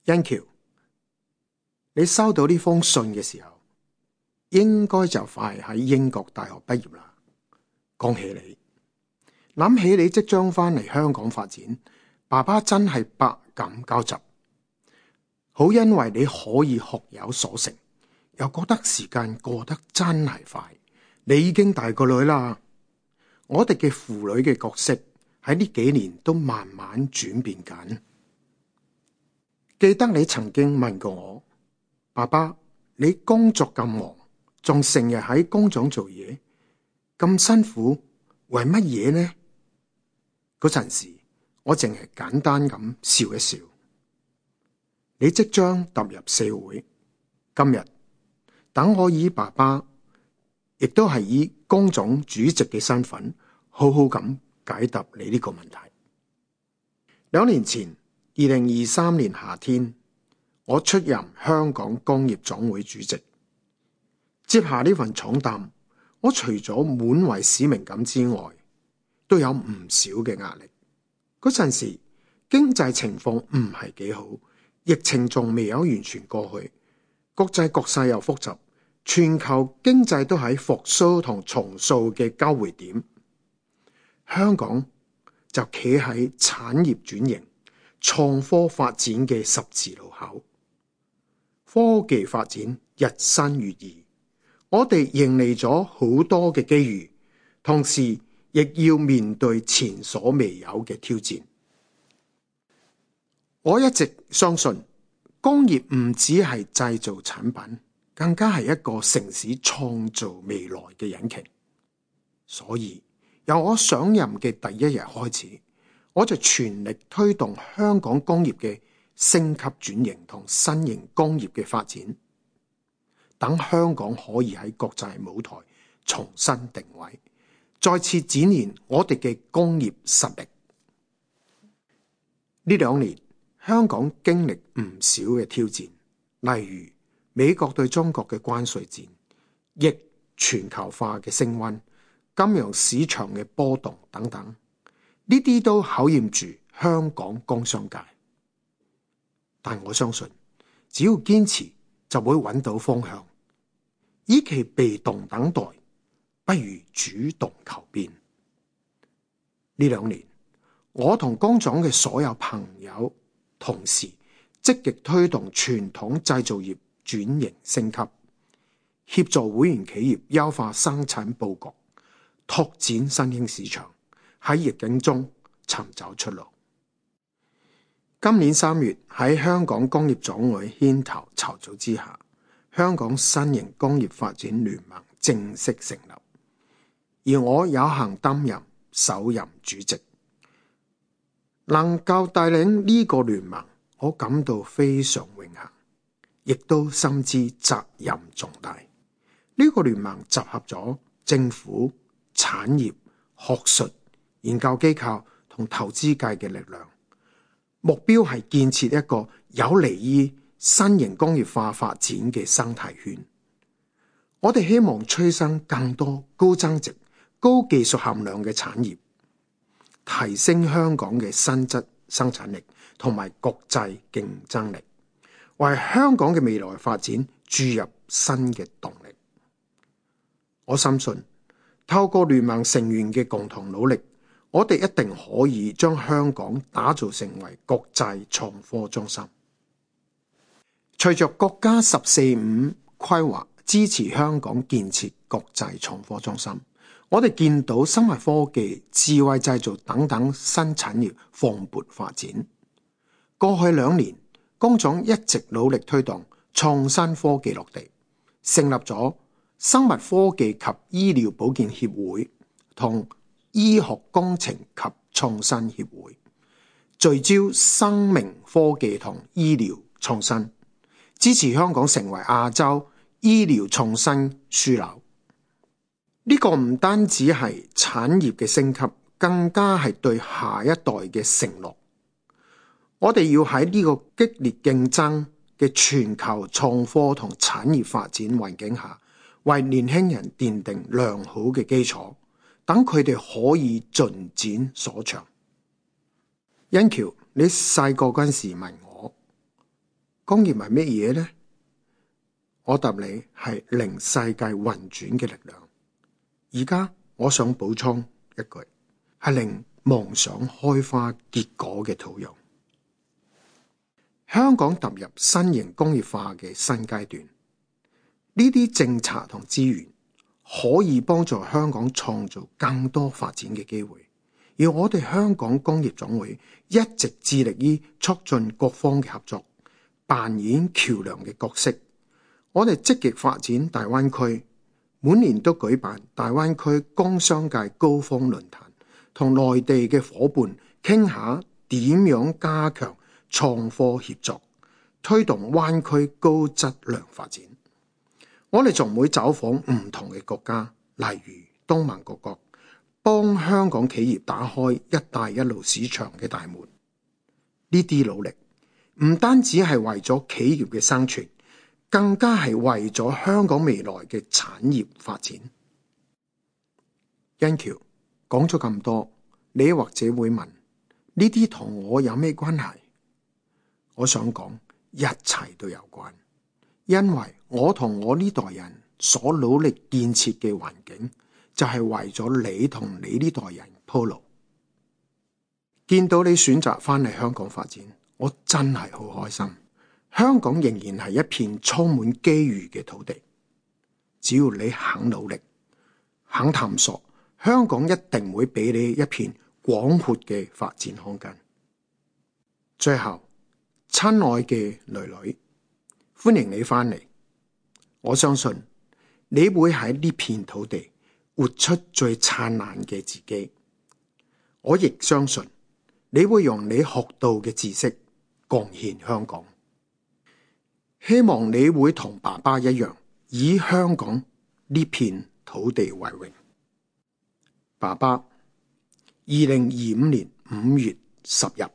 恩橋，你收到呢封信嘅時候，應該就快喺英國大學畢業啦。恭喜你！諗起你即將翻嚟香港發展，爸爸真係百感交集。好因為你可以學有所成，又覺得時間過得真係快。你已經大個女啦。我哋嘅父女嘅角色喺呢幾年都慢慢轉變緊。記得你曾經問過我，爸爸，你工作咁忙，仲成日喺工廠做嘢，咁辛苦，為乜嘢呢？嗰陣時，我淨係簡單咁笑一笑。你即將踏入社會，今日等我以爸爸，亦都係以工總主席嘅身份，好好咁解答你呢個問題。2年前，2023年夏天，我出任香港工業總會主席，接下呢份重擔，我除咗滿為使命感之外，都有唔少嘅壓力。嗰陣時，經濟情況唔係幾好，疫情仲未有完全過去，國際局勢又複雜，全球經濟都喺復甦同重塑嘅交匯點。香港就企喺產業轉型、創科發展嘅十字路口，科技發展日新月異，我哋迎嚟咗好多嘅機遇，同時亦要面對前所未有嘅挑戰。我一直相信，工業唔只係製造產品，更加係一個城市創造未來嘅引擎。所以由我上任嘅第一日開始，我就全力推動香港工業嘅升級轉型同新型工業嘅發展，等香港可以喺國際舞台重新定位，再次展現我哋嘅工業實力。呢2年，香港經歷唔少嘅挑戰，例如美國對中國嘅關稅戰，亦全球化嘅升溫，金融市場嘅波動等等，呢啲都考驗住香港工商界。但我相信，只要堅持，就會揾到方向。與其被動等待，不如主動求變。呢2年，我同工總嘅所有朋友、同事積極推動傳統製造業轉型升級，協助會員企業優化生產佈局，拓展新興市場，喺逆境中尋找出路。今年3月喺香港工業總會牽頭籌組之下，香港新型工業發展聯盟正式成立，而我有幸擔任首任主席。能夠帶領呢個聯盟，我感到非常榮幸，亦都深知責任重大。呢個聯盟集合咗政府、產業、學術、研究機構同投資界嘅力量，目標係建設一個有利於新型工業化發展嘅生態圈。我哋希望催生更多高增值、高技術含量嘅產業，提升香港嘅新質生產力同埋國際競爭力，為香港嘅未來發展注入新嘅動力。我深信，透過聯盟成員嘅共同努力，我哋一定可以將香港打造成為國際創科中心。隨着國家14-5規劃支持香港建設國際創科中心，我哋見到生物科技、智慧製造等等新產業蓬勃發展。過去2年，工總一直努力推動創新科技落地，成立咗生物科技及醫療保健協會同醫學工程及創新協會，聚焦生命科技同醫療創新，支持香港成為亞洲醫療創新樞紐。呢個唔單止係產業嘅升級，更加係對下一代嘅承諾。我哋要喺呢個激烈競爭嘅全球創科同產業發展環境下，為年輕人奠定良好嘅基礎，等佢哋可以盡展所長。恩橋，你細個嗰陣時問我，工業係乜嘢呢？我答你係令世界運轉嘅力量。而家我想補充一句，係令夢想開花結果嘅土壤。香港踏入新型工業化嘅新階段，呢啲政策同資源可以幫助香港創造更多發展嘅機會。而我哋香港工業總會一直致力於促進各方嘅合作，扮演橋樑嘅角色。我哋積極發展大灣區，每年都舉辦大灣區工商界高峰論壇，同內地嘅夥伴傾下點樣加強創科協作，推動灣區高質量發展。我哋仲會走訪唔同嘅國家，例如東盟各國，幫香港企業打開一帶一路市場嘅大門。呢啲努力唔單止係為咗企業嘅生存，更加係為咗香港未來嘅產業發展。欣橋講咗咁多，你或者會問，呢啲同我有咩關係？我想講，一切都有關，因為我同我呢代人所努力建設嘅環境，就係為咗你同你呢代人鋪路。見到你選擇翻嚟香港發展，我真係好開心。香港仍然係一片充滿機遇嘅土地，只要你肯努力、肯探索，香港一定會俾你一片廣闊嘅發展空間。最後，親愛嘅囡囡，歡迎你翻嚟。我相信你會喺呢片土地活出最燦爛嘅自己。我亦相信你會用你學到嘅知識貢獻香港。希望你會同爸爸一樣，以香港呢片土地為榮。爸爸，2025年5月10日。